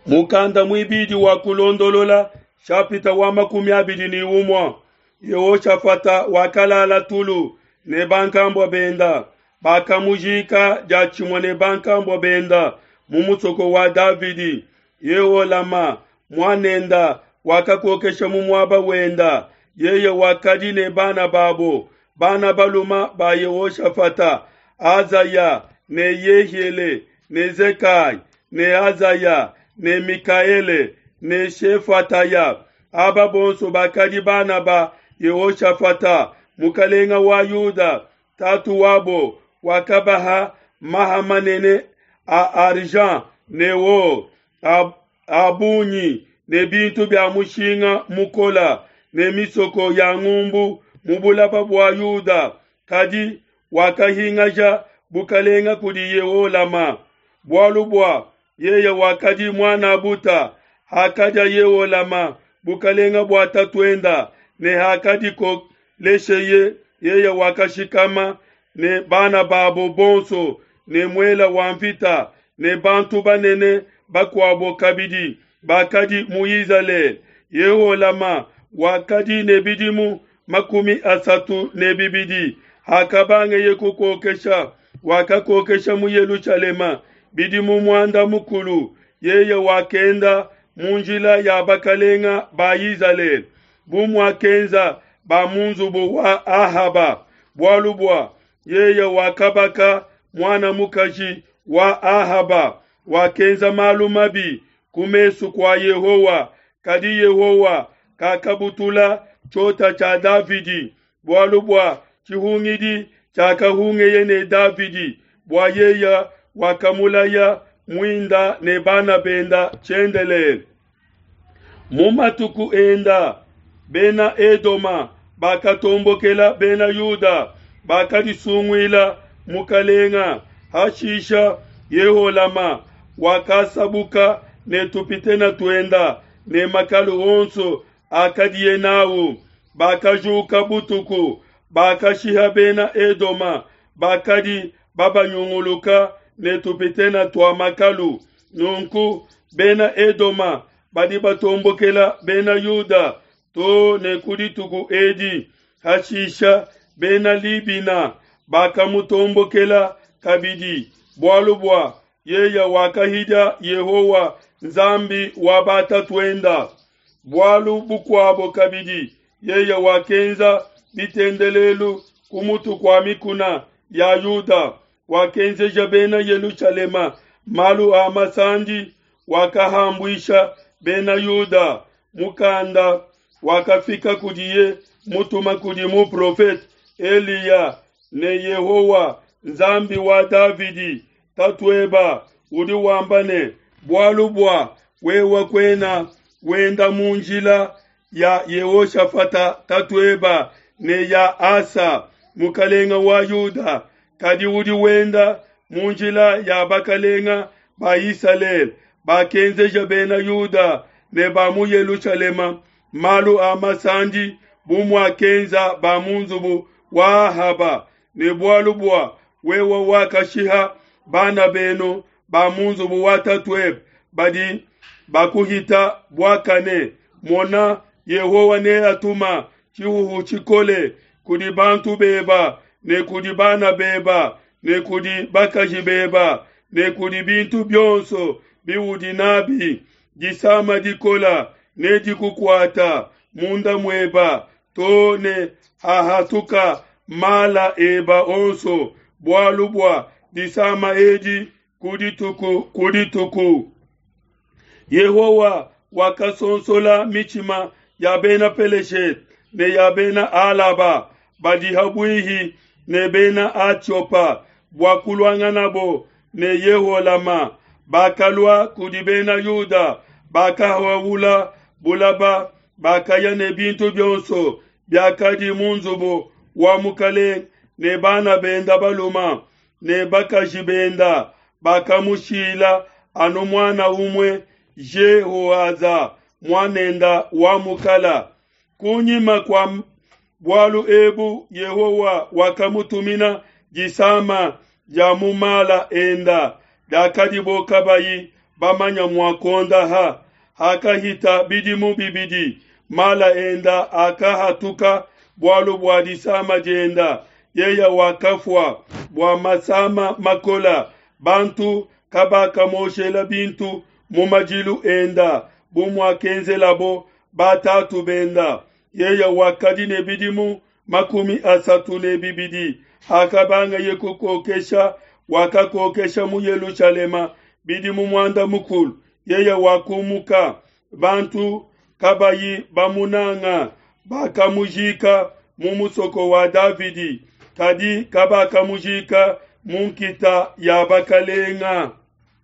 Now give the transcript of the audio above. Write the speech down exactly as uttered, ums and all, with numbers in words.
Mukanda muibidi wa Kulondolola shapita wa makumi abidi ne umue. Yehoshafata wakalala tulu ne bankambua benda, bakamujika diatshimue ne bankambua benda mu musoko wa Davidi. Yeholama muanenda wakakokesha mu muaba wenda. Yeye wakadi ne bana babo, bana baluma ba Yehoshafata, Azaya ne Yehiele ne Zekai ne Azaya ne Mikaele ne Shefataya. Aba bonso bakadi bana ba Yehoshafata mukalenga wa Yuda. Tatu wabo wakabaha maha manene a argent ne or a bungi ne bintu bia mushinga mukola ne misoko ya ngumbu mu bulaba bua Yuda. Kadi wakahingaja bukalenga kudi Yeholama, bualu bua yeye wakadi muana buta. Hakadia Yeholama bukalenga bua tatuenda ne hakadikolesheye, yeye wakashikama ne bana babo bonso ne muela wa mvita ne bantu banene bakuabo kabidi bakadi mu Izalele. Yeholama wakadi ne bidimu makumi asatu ne bibidi hakabangeye kukokesha. Wakakokesha mu Yelushalema bidimu muanda mukulu. Yeye wakenda mu njila ya bakalenga ba Izalele, bu muakenza ba mu nzubu wa Ahaba, bualu bua yeye wakabaka mwana mukaji wa Ahaba. Wakenza malu mabi ku mesu kwa Yehowa, kadi Yehowa kakabutula tshiota tshia Davidi, bualu bua tshihungidi tshiakahungeye ne Davidi, bua yeye wakamulaya muinda ne bana benda tshiendelele. Mu matuku enda bena Edoma bakatombokela bena Yuda, bakadisunguila mukalenga. Hashisha Yeholama wakasabuka ne tupitena tuenda ne makalu onso akadiye nawu. Bakajuka butuku, bakashiha bena Edoma bakadi babanyunguluka ne tupitena tua makalu. Nunku bena Edoma badi batombokela bena Yuda to ne ku dituku edi. Hashisha bena Libina bakamutombokela kabidi, bualu bua yeye wakahidia Yehowa Nzambi wa batatuenda. Bualu bukuabo kabidi, yeye wakenza bitendelelu ku mutu kua mikuna ya Yuda, wakenzeja bena Yelushalema malu a masandi, wakahambuisha bena Yuda. Mukanda wakafika kudiye mutuma kudi muprofete Eliya ne Yehowa Nzambi wa Davidi tatueba udi wamba ne, bualu bua wewe kwena wenda mu njila ya Yehoshafata tatueba ne ya Asa mukalenga wa Yuda, kadi udi wenda mu njila ya bakalenga ba Isalele bakenzeja bena Yuda ne ba mu Yelushalema malu a masandi bu muakenza ba mu nzubu wa Ahaba, ne bualu bua wewe wakashiha bana benu ba mu nzubu wa tatuebe badi bakuhita buakane. Mona, Yehowa neatuma tshihuhu tshikole kudi bantu beba ne kudi bana beba ne kudi bakaji beba ne kudi bintu bionso biudi nabi. Disama dikola nedikukuata munda mueba to ne hahatuka mala eba onso, bualu bua disama edi ku dituku ku dituku. Yehowa wakasonsola mitshima ya bena Peleshete ne ya bena Alaba badi habuihi ne bena Atiopa bua kuluanganabo ne Yeholama. Bakalua kudi bena Yuda, bakahawula bulaba, bakaya ne bintu bionso biakadi mu nzubu wa mukalenge ne bana benda baluma ne bakaji benda. Bakamushila anu muana umue, Jehoaza muanenda wa mukala. Kunyima kua bualu ebu Yehowa wakamutumina disama dia mu mala enda diakadibo kabayi bamanya mua kuondaha. Hakahita bidimu bibidi, mala enda akahatuka bualu bua disama dienda, yeya wakafua bua masama makola. Bantu kabakamoshela bintu mu madilu enda bu muakenzelabo batatu benda. Yeya wakadi ne bidimu makumi asatu ne bibidi hakabangaye kukokesha, wakakokesha mu Yelushalema bidimu muanda mukulu. Yeya wakumuka, bantu kabayi bamunanga, bakamujika mu musoko wa Davidi, kadi kabakamujika mu nkita ya bakalenga.